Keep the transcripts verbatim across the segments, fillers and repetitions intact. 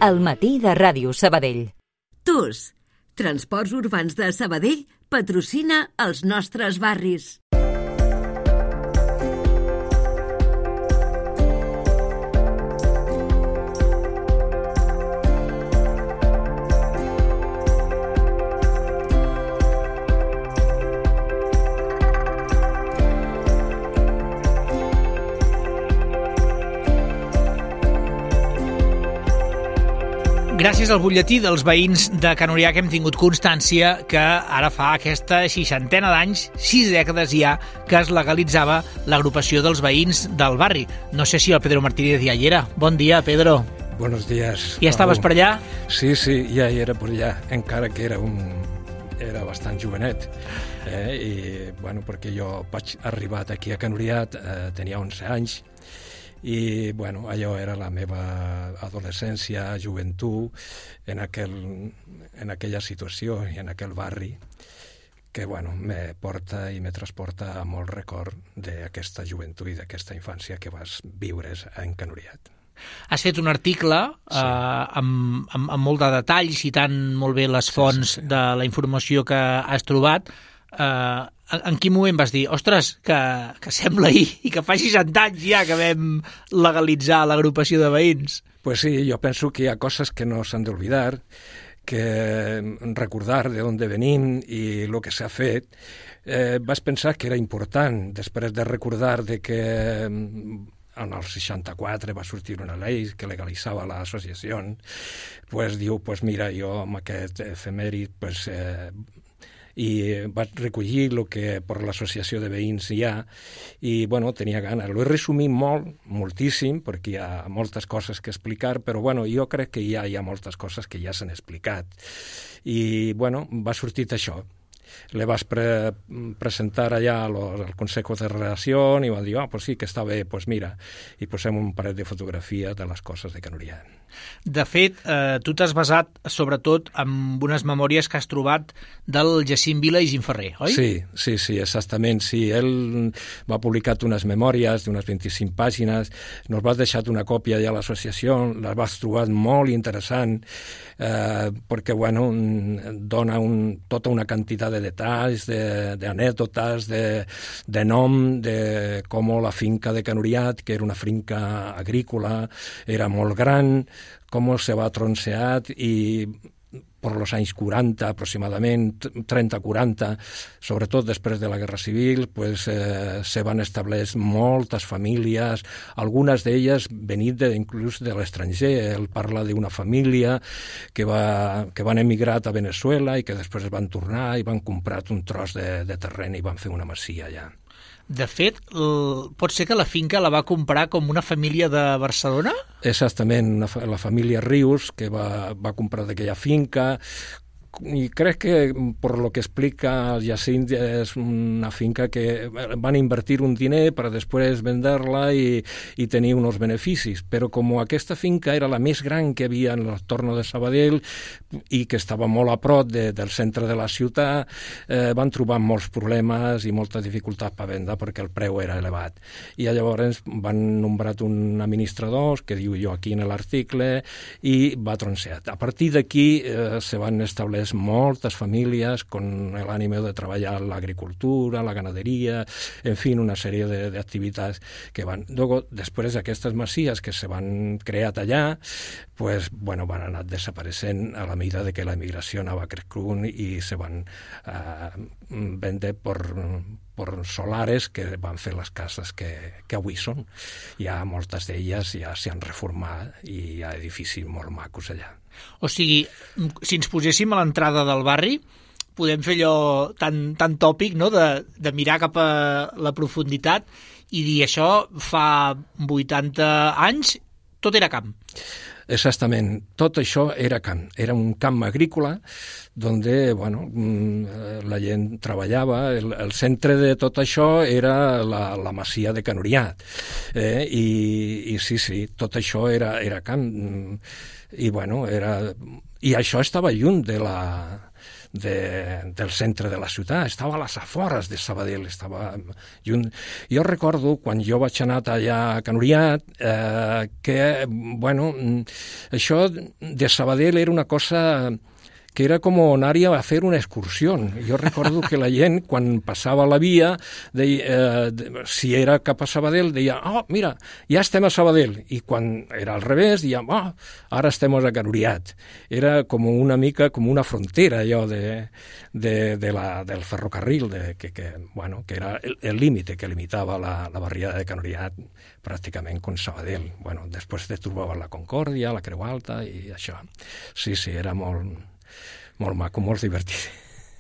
El matí de Ràdio Sabadell. T U S, Transports Urbans de Sabadell, patrocina els nostres barris. Gràcies al butlletí dels veïns de Can Orià que hem tingut constància que ara fa aquesta seixantena d'anys, sis dècades ja, que es legalitzava l'agrupació dels veïns del barri. No sé si el Pedro Martínez ja hi era. Bon dia, Pedro. Buenos días. Ja estaves per allà? Sí, sí, ja hi era per allà, encara que era un... era bastant jovenet. Eh? I, bueno, perquè jo vaig arribar aquí a Can Orià, eh, tenia onze anys, i bueno, allò era la meva adolescència, joventut, en, aquel, en aquella situació i en aquell barri, que bueno, me porta i me transporta a molt record d'aquesta joventut i d'aquesta infància que vas viure en Can Orià. Has fet un article sí. eh, amb, amb, amb molt de detall, citant molt bé les fonts sí, sí, sí. de la informació que has trobat. Eh, en quin moment vas dir, ostres, que, que sembla ahir i que fa seixanta anys ja que vam legalitzar l'agrupació de veïns? Pues sí, jo penso que hi ha coses que no s'han d'oblidar, que recordar de on venim i el que s'ha fet. Eh, vas pensar que era important, després de recordar de que en el seixanta-quatre va sortir una llei que legalitzava l'associació, pues diu, pues mira, jo amb aquest efemèrid, pues... Eh, i vaig recollir el que per l'associació de veïns hi ha i, bueno, tenia gana. L'he resumit molt, moltíssim, perquè hi ha moltes coses que explicar, però, bueno, jo crec que ja hi ha moltes coses que ja s'han explicat. I, bueno, va sortir això. Le vas pre presentar allà al Consejo de Relació i van dir, ah, oh, pues sí, que està bé, pues mira, i posem un parell de fotografies de les coses de Can Orià. De fet, eh, tu t'has basat sobretot en unes memòries que has trobat del Jacint Vila i Gimferrer, oi? Sí, sí, sí, exactament. Sí, ell va publicar unes memòries d'unes vint-i-cinc pàgines, nos vas deixar una còpia ja a l'associació, les vas trobar molt interessant, eh, perquè, bueno, dona un, tota una quantitat de detalls, d'anècdotes, de, de, de nom, de com la finca de Can Orià, que era una finca agrícola, era molt gran, com se va tronceat i per els anys quaranta, aproximadament, trenta quaranta, sobretot després de la Guerra Civil, pues, eh, se van establir moltes famílies, algunes d'elles venint de, inclús de l'estranger. Ell parla d'una família que, va, que van emigrar a Venezuela i que després van tornar i van comprar un tros de, de terreny i van fer una masia allà. De fet, el, pot ser que la finca la va comprar com una família de Barcelona? Exactament, una, la família Rius, que va, va comprar d'aquella finca, i crec que per lo que explica el Jacint és una finca que van invertir un diner per després vendre-la i, i tenir uns beneficis, però com aquesta finca era la més gran que havia en l'entorn de Sabadell i que estava molt a prop de, del centre de la ciutat, eh, van trobar molts problemes i moltes dificultats per vendre perquè el preu era elevat. I llavors van nombrar un administrador, que diu jo aquí en l'article, i va tronceat. A partir d'aquí eh, se van establir moltes famílies con l'ànima de treballar l'agricultura, la ganaderia, en fi, una sèrie d'activitats que van... Luego, després d'aquestes masies que se van crear allà, pues, bueno, van anar desapareixent a la medida de que la migració anava creixent i se van eh, vendre per... per solares que van fer les cases que, que avui són. Hi ha moltes d'elles, ja s'han reformat i hi ha edificis molt macos allà. O sigui, si ens poséssim a l'entrada del barri, podem fer allò tan, tan tòpic, no?, de, de mirar cap a la profunditat i dir això fa vuitanta anys, tot era camp. Exactament, tot això era camp, era un camp agrícola donde, bueno, la gent treballava, el, el centre de tot això era la, la masia de Can Orià, eh? I, i sí, sí, tot això era, era camp, i bueno, era... I això estava lluny de la, de, del centre de la ciutat, estava a les afores de Sabadell, estava junt. Jo recordo, quan jo vaig anar allà a Can Oriat, eh, que, bueno, això de Sabadell era una cosa que era com anar-hi a fer una excursió. Jo recordo que la gent, quan passava la via, deia, eh, si era cap a Sabadell, deia, oh, mira, ja estem a Sabadell. I quan era al revés, deia, oh, ara estem a Can Oriat. Era com una mica com una frontera, allò de, de, de la, del ferrocarril, de, que, que, bueno, que era el límit que limitava la, la barriada de Can Oriat pràcticament con Sabadell. Bueno, després te trobava la Concòrdia, la Creu Alta i això. Sí, sí, era molt... molt maco, molt divertit.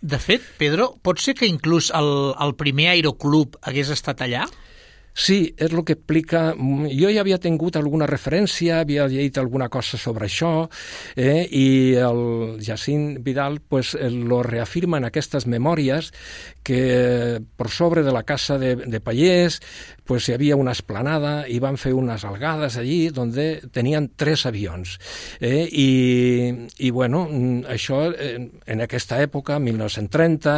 De fet, Pedro, pot ser que inclús el, el primer aeroclub hagués estat allà? Sí, és el que explica... Jo ja havia tingut alguna referència, havia llegit alguna cosa sobre això, eh, i el Jacint Vidal pues, lo reafirma en aquestes memòries que per sobre de la casa de, de Pallés pues, hi havia una esplanada i van fer unes algades allí donde tenien tres avions. Eh, i, I, bueno, això en aquesta època, mil nou-cents trenta,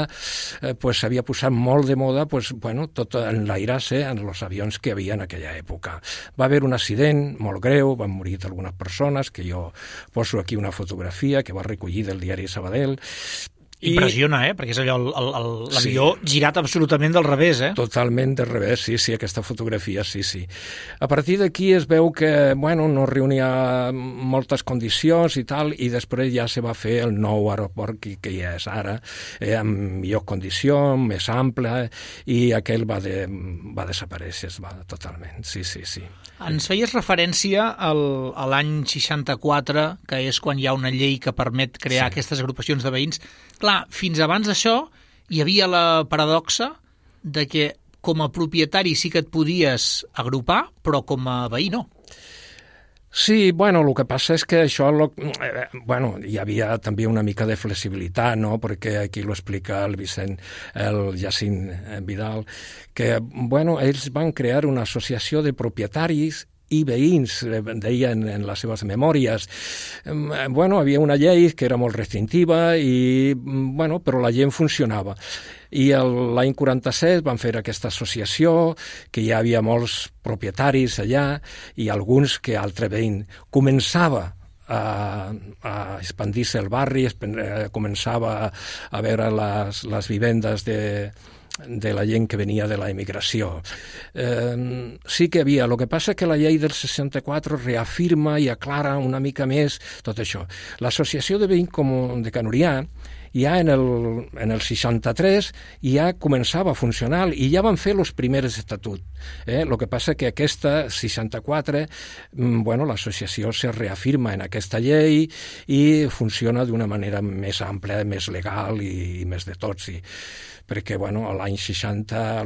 eh, pues, s'havia posat molt de moda pues, bueno, tot enlairar-se en els avions que hi havia en aquella època. Va haver un accident molt greu, van morir algunes persones, que jo poso aquí una fotografia que va recollir del diari Sabadell. Impressiona, eh? Perquè és allò, l'avió sí. Girat absolutament del revés, eh? Totalment del revés, sí, sí, aquesta fotografia, sí, sí. A partir d'aquí es veu que, bueno, no reunia moltes condicions i tal, i després ja se va fer el nou aeroport que, que ja és ara, eh, amb millor condició, més ample, i aquell va, de, va desaparèixer, va totalment, sí, sí, sí. Ens feies referència al, a l'any seixanta-quatre, que és quan hi ha una llei que permet crear sí. Aquestes agrupacions de veïns. Clar, fins abans d'això hi havia la paradoxa de que com a propietari sí que et podies agrupar, però com a veí no. Sí, bueno, el que passa és que això, lo, eh, bueno, hi havia també una mica de flexibilitat, no?, perquè aquí lo explica el Vicent, el Jacint Vidal, que, bueno, ells van crear una associació de propietaris i veïns, deien en les seves memòries. Bueno, havia una llei que era molt restrictiva, i, bueno, però la gent funcionava. I l'any quaranta-set van fer aquesta associació, que hi havia molts propietaris allà, i alguns que altre veïn començava a, a expandir-se el barri, començava a veure les, les vivendes de... de la gent que venia de la emigració. Eh, sí que havia. El que passa que la llei del seixanta-quatre reafirma i aclara una mica més tot això. L'associació de veïns com de Can Oriat ja en el, en el seixanta-tres ja començava a funcionar i ja van fer els primers estatuts. Eh? El que passa que aquesta seixanta-quatre, bueno, l'associació se reafirma en aquesta llei i funciona d'una manera més àmplia, més legal i, i més de tots. I, perquè, bueno, a l'any seixanta,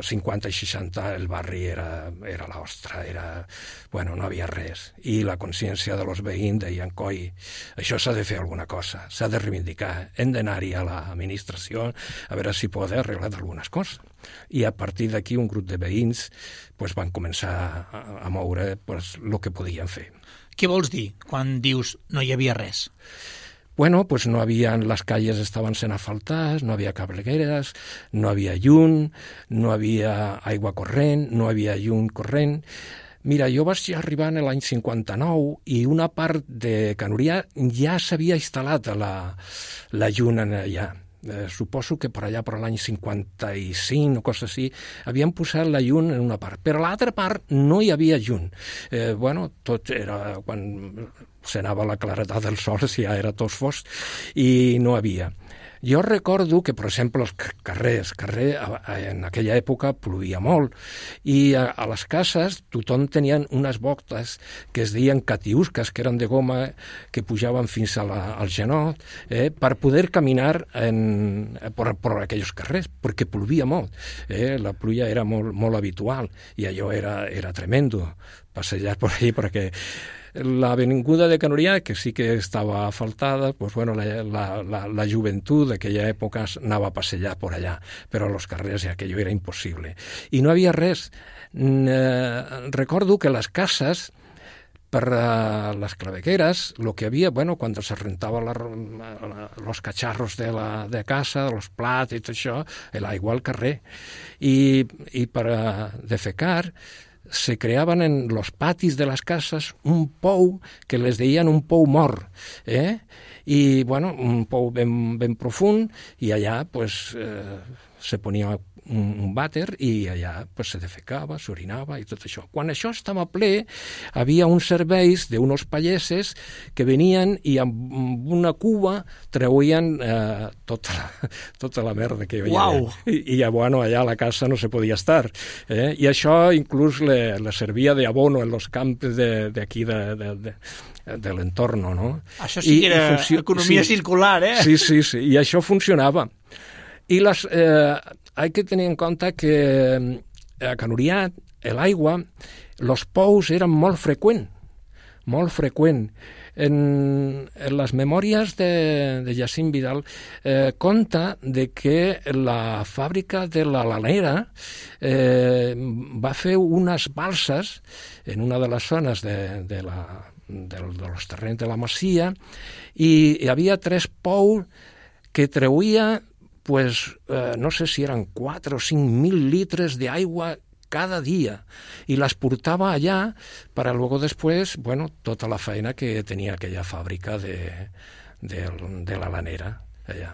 cinquanta i seixanta, el barri era, era l'ostra, era, bueno, no havia res. I la consciència de los veïns deien, coi, això s'ha de fer alguna cosa, s'ha de reivindicar, hem d'anar-hi a l'administració a veure si pot arreglar algunes coses. I a partir d'aquí un grup de veïns pues, van començar a, a moure pues, el que podien fer. Què vols dir quan dius no hi havia res? Bueno, pues no havia, les calles estaven sent asfaltades, no havia cablegueres, no havia llum, no havia aigua corrent, no havia llum corrent. Mira, jo vaig arribar en l'any cinquanta-nou i una part de Can Oriat ja s'havia instal·lat la, la llum allà. Eh, suposo que per allà, per l'any cinquanta-cinc o cosa així, havien posat la llum en una part. Però a l'altra part no hi havia llum. Eh, bueno, tot era... quan s'anava la claredat del sol, si ja era tot fosc, i no havia. Jo recordo que, per exemple, els carrers, carrer, en aquella època plovia molt, i a, a les cases tothom tenien unes botes que es deien catiusques, que eren de goma, que pujaven fins a la, al genot, eh, per poder caminar en, per, per aquells carrers, perquè plovia molt. Eh, la pluja era molt, molt habitual, i allò era, era tremendo, passejar per allà, perquè l'avinguda de Can Oriat, que sí que estava asfaltada, pues bueno, la, la, la, la joventut d'aquella època anava a passejar per allà, però a los carrers aquello era impossible. I no havia res. Eh, recordo que les cases per uh, les clavegueras, lo que havia, bueno, cuando se rentava la, la, los cacharros de, la, de casa, los plats i tot això, l'aigua al carrer. I, i per uh, defecar se creaven en los patis de les cases un pou que les deien un pou mort, eh? I, bueno, un pou ben, ben profund, i allà, pues, eh, se ponia un, un vàter i allà pues, se defecava, s'orinava i tot això. Quan això estava ple, havia uns serveis d'uns palleses que venien i amb una cuba treuien eh, tota, la, tota la merda que hi havia. Uau. I, i bueno, allà a la casa no se podia estar. Eh? I això inclús le, le servia de abono en los camps d'aquí de, de, de, de, de l'entorno, no? Això sí que era funcio... economia sí. circular, eh? Sí, sí, sí, i això funcionava. I les, eh, hay que tenir en compte que a Canuriat, l'aigua, els pous eren molt freqüent, molt freqüent. En, en les memòries de, de Jacint Vidal eh, conta de que la fàbrica de la Lanera eh, va fer unes balses en una de les zones de, de, la, de, de los terrenys de la Masia i hi havia tres pous que treuia pues eh, no sé si eren quatre o cinc mil litres de aigua cada dia i les portava allà per a luego després, bueno, tota la feina que tenia aquella fàbrica de, de, de la Lanera allà.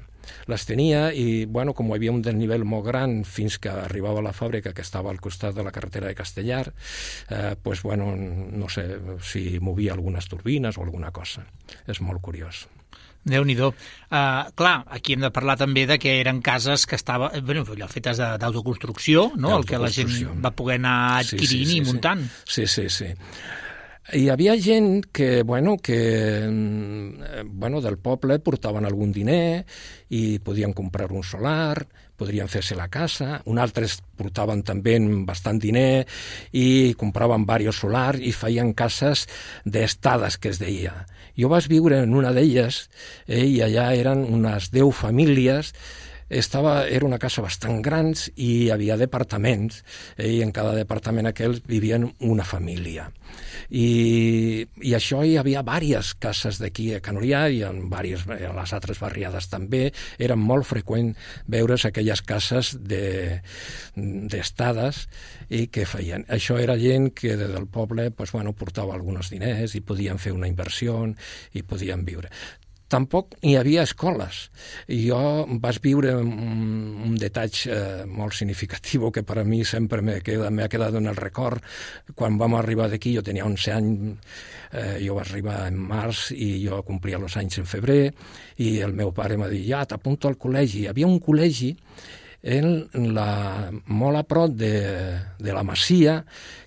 Les tenia i, bueno, com hi havia un desnivell molt gran fins que arribava a la fàbrica que estava al costat de la carretera de Castellar, eh, pues, bueno, no sé si movia algunes turbines o alguna cosa. És molt curiós. Déu-n'hi-do. Uh, clar, aquí hem de parlar també de que eren cases que estaven, bueno, allò fetes d'autoconstrucció, no? El que la gent va poder anar adquirint sí, sí, sí, i muntant. Sí, sí, sí. Hi havia gent que, bueno, que bueno, del poble portaven algun diner i podien comprar un solar, podrien fer-se la casa, un altres portaven també bastant diner i compraven diversos solars i feien cases d'estades, que es deia. Jo vaig viure en una d'elles eh, i allà eren unes deu famílies. Estava, era una casa bastant gran i hi havia departaments eh, i en cada departament aquell vivien una família. I, i això hi havia diverses cases d'aquí a Canurià i en, diverses, en les altres barriades també. Era molt freqüent veure's aquelles cases de, d'estades i que feien. Això era gent que del poble pues, bueno, portava alguns diners i podien fer una inversió i podien viure. Tampoc hi havia escoles. Jo vaig viure un, un detall eh, molt significatiu que per a mi sempre m'ha quedat, m'ha quedat en el record. Quan vam arribar d'aquí, jo tenia onze anys, eh, jo vaig arribar en març i jo complia els anys en febrer, i el meu pare m'ha dit, ja, t'apunto al col·legi. Hi havia un col·legi en la, molt a prop de, de la Masia,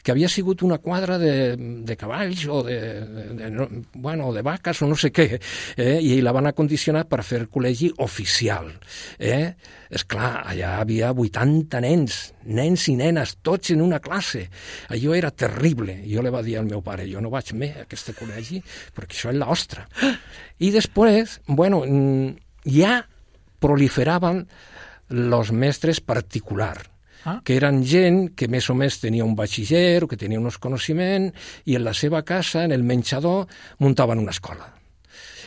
que havia sigut una quadra de, de cavalls o de, de, de, bueno, de vaques o no sé què, eh? I la van acondicionar per fer el col·legi oficial. Eh? Esclar, allà havia vuitanta nens, nens i nenes, tots en una classe. Allò era terrible. Jo li va dir al meu pare, jo no vaig més a aquest col·legi perquè això és l'ostra. I després, bueno, ja proliferaven los mestres particular, ah. que eren gent que més o més tenia un batxiller o que tenia uns coneixements i en la seva casa, en el menjador, muntaven una escola.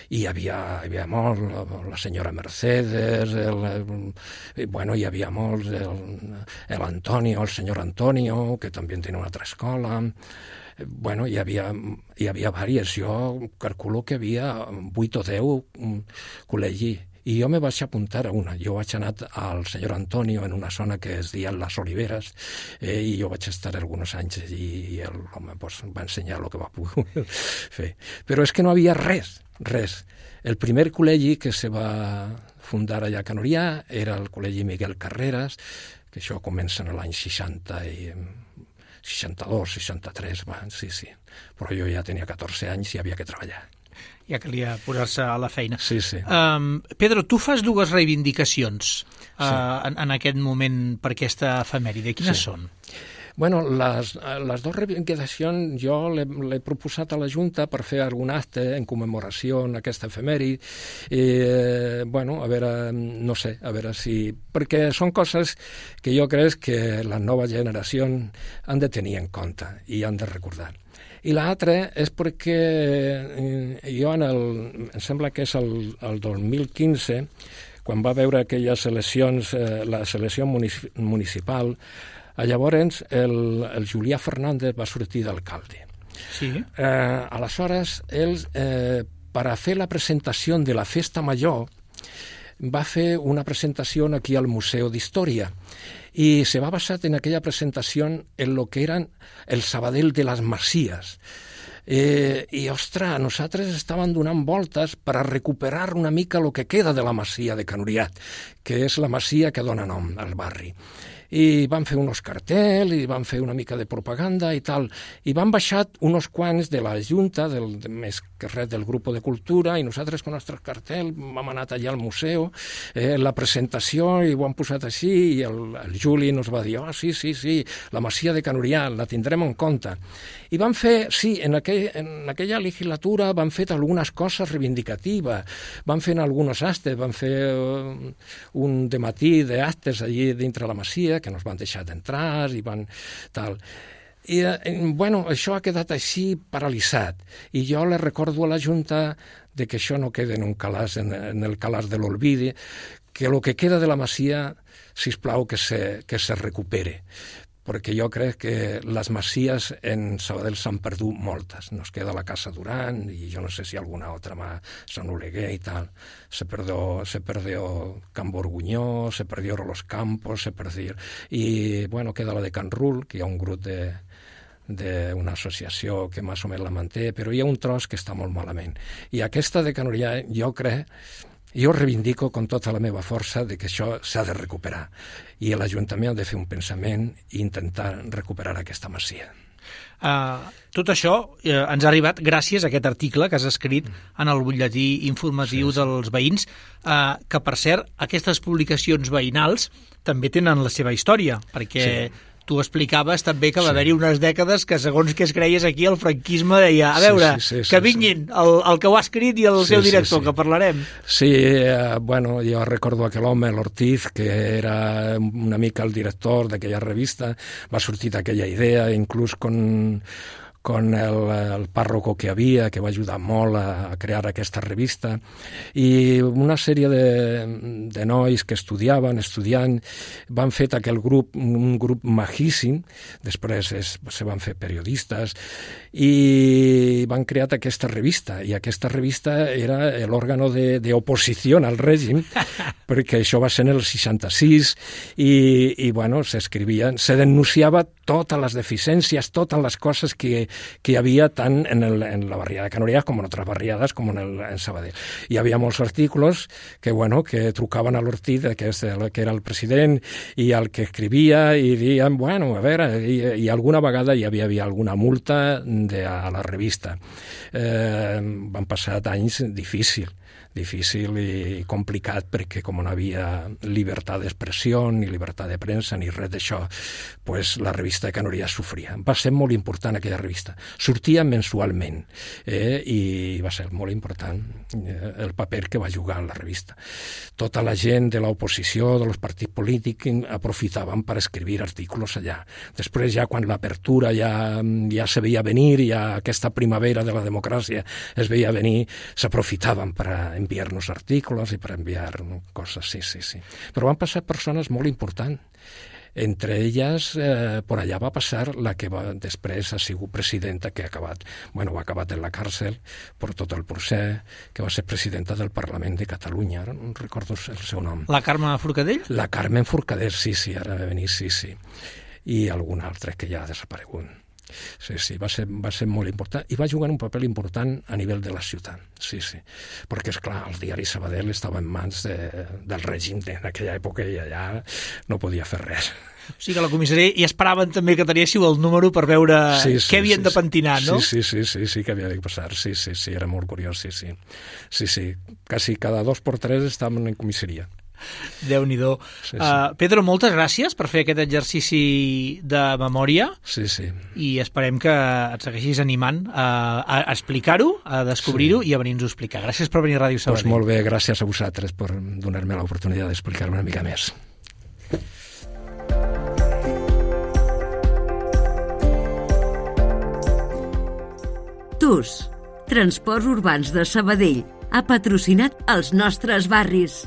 I hi havia, hi havia molt, la senyora Mercedes, el, el, bueno, hi havia molts, el, Antonio, el senyor Antonio, que també tenia una altra escola. Bueno, hi havia, hi havia diverses. Jo calculo que hi havia vuit o deu col·legi. I jo me vaig apuntar a una. Jo vaig anar al senyor Antonio en una zona que es deia Les Oliveres eh, i jo vaig estar alguns anys allí i l'home pues, va ensenyar el que va poder fer. Però és que no havia res, res. El primer col·legi que se va fundar allà a Canurià era el col·legi Miguel Carreras, que això comença en l'any seixanta i seixanta-dos, seixanta-tres, va, sí, sí. Però jo ja tenia catorze anys i havia que treballar. Ja calia posar-se a la feina. Sí, sí. Um, Pedro, tu fas dues reivindicacions uh, sí. en, en aquest moment per aquesta efemèride. Quines sí. són? Bueno, les, les dues reivindicacions jo l'he proposat a la Junta per fer algun acte en commemoració en aquesta efemèride. I, eh, bueno, a veure, no sé, a veure si... Perquè són coses que jo crec que les noves generacions han de tenir en compte i han de recordar. I l'altre és perquè jo en el, em sembla que és el, el dos mil quinze, quan va veure aquelles eleccions, eh, la selecció municipal, llavors el, el Julià Fernández va sortir d'alcalde. Sí. Eh, aleshores, ell, eh, per a fer la presentació de la Festa Major, va fer una presentació aquí al Museu d'Història i se va basar en aquella presentació en lo que eren el Sabadell de les Masies. Eh, I, ostres, nosaltres estàvem donant voltes per a recuperar una mica el que queda de la masia de Can Uriat, que és la masia que dona nom al barri. I van fer uns cartells, i van fer una mica de propaganda i tal, i van baixar uns quants de la Junta, del, de, més que res del grup de cultura, i nosaltres amb el nostre cartell vam anar allà al museu, eh, la presentació, i ho han posat així, i el, el Juli ens va dir, oh, sí, sí, sí, la masia de Can Uriat, la tindrem en compte. I van fer, sí, en, aquell, en aquella legislatura van fer algunes coses reivindicatives, van fer alguns actes, van fer uh, un dematí d'actes allí dintre la masia, que nos van deixar d'entrar i van tal. I, eh, bueno, això ha quedat així paralitzat. I jo le recordo a la Junta de que això no quede en un calaix, en, en el calaix de l'olvidi, que el que queda de la masia, sisplau, que se, que se recupere. Perquè jo crec que les masies en Sabadell s'han perdut moltes. Nos queda la Casa Duran i jo no sé si alguna altra más, Sant Oleguer i tal. Se perdió, se perdió Can Borgunyó, se perdió Los Campos, se perdió... I, bueno, queda la de Can Rull, que hi ha un grup de d'una associació que més o menys la manté, però hi ha un tros que està molt malament. I aquesta de Can Uriat, jo crec... Jo reivindico con tota la meva força de que això s'ha de recuperar i l'Ajuntament ha de fer un pensament i intentar recuperar aquesta masia. Uh, tot això uh, ens ha arribat gràcies a aquest article que has escrit en el butlletí informatiu sí, sí. dels veïns, uh, que per cert, aquestes publicacions veïnals també tenen la seva història, perquè... Sí. Tu explicaves també que va sí. haver-hi unes dècades que, segons que es creies aquí, el franquisme deia, a veure, sí, sí, sí, que vinguin sí. el, el que ho ha escrit i el sí, seu director, sí, sí. que parlarem. Sí, eh, bueno, jo recordo aquell home, l'Ortiz, que era una mica el director d'aquella revista, va sortir d'aquella idea, inclús con... con el, el párroco que havia, que va ajudar molt a, a crear aquesta revista, i una sèrie de, de nois que estudiaven, estudiant, van fet aquell grup, un grup majíssim, després es, se van fer periodistes, i van crear aquesta revista, i aquesta revista era l'òrgan d'oposició al règim, perquè això va ser en el seixanta-sis, i, i bueno, s'escrivien, se denunciava totes les deficiències, totes les coses que que hi havia tant en, el, en la barriada de Can Uriat com en altres barriades com en, el, en Sabadell. Hi havia molts articles que, bueno, que trucaven a l'Ortiz, que, és el, que era el president, i el que escrivia, i deien, bueno, a veure, i, i alguna vegada hi havia, havia alguna multa de, a la revista. Eh, van passar anys difícils. difícil i complicat perquè com no havia llibertat d'expressió ni llibertat de premsa ni res d'això, pues la revista de Can Uriat sofria. Va ser molt important aquella revista. Sortia mensualment eh, i va ser molt important eh, el paper que va jugar la revista. Tota la gent de l'oposició, dels partits polítics, aprofitaven per escriure articles allà. Després ja quan l'apertura ja, ja se veia venir, ja aquesta primavera de la democràcia es veia venir, s'aprofitaven per a enviar-nos articles i per enviar coses, sí, sí, sí. Però van passar persones molt importants. Entre elles, eh, per allà va passar la que va, després ha sigut presidenta, que ha acabat, bueno, ha acabat en la càrcel per tot el procés, que va ser presidenta del Parlament de Catalunya, ara no recordo el seu nom. La Carme Forcadell? La Carme Forcadell, sí, sí, ara va venir, sí, sí. I algun altre que ja ha desaparegut. Sí, sí, va ser, va ser molt important i va jugar un paper important a nivell de la ciutat, sí, sí, perquè, esclar, el diari Sabadell estava en mans de, del règim en aquella època i allà no podia fer res. O sigui que a la comissaria hi esperaven també que teníssiu el número per veure sí, sí, què havien sí, de pentinar, no? Sí, sí, sí, sí, sí que havia de passar, sí, sí, sí, era molt curiós, sí, sí, sí, sí, quasi cada dos per tres estàvem en comissaria. Déu-n'hi-do. Sí, sí. Uh, Pedro, moltes gràcies per fer aquest exercici de memòria. Sí, sí. I esperem que et segueixis animant a, a explicar-ho, a descobrir-ho sí. i a venir-nos a explicar. Gràcies per venir a Ràdio Sabadell. Pues molt bé, gràcies a vosaltres per donar-me l'oportunitat d'explicar-me una mica més. d'ús. Transports Urbans de Sabadell ha patrocinat els nostres barris.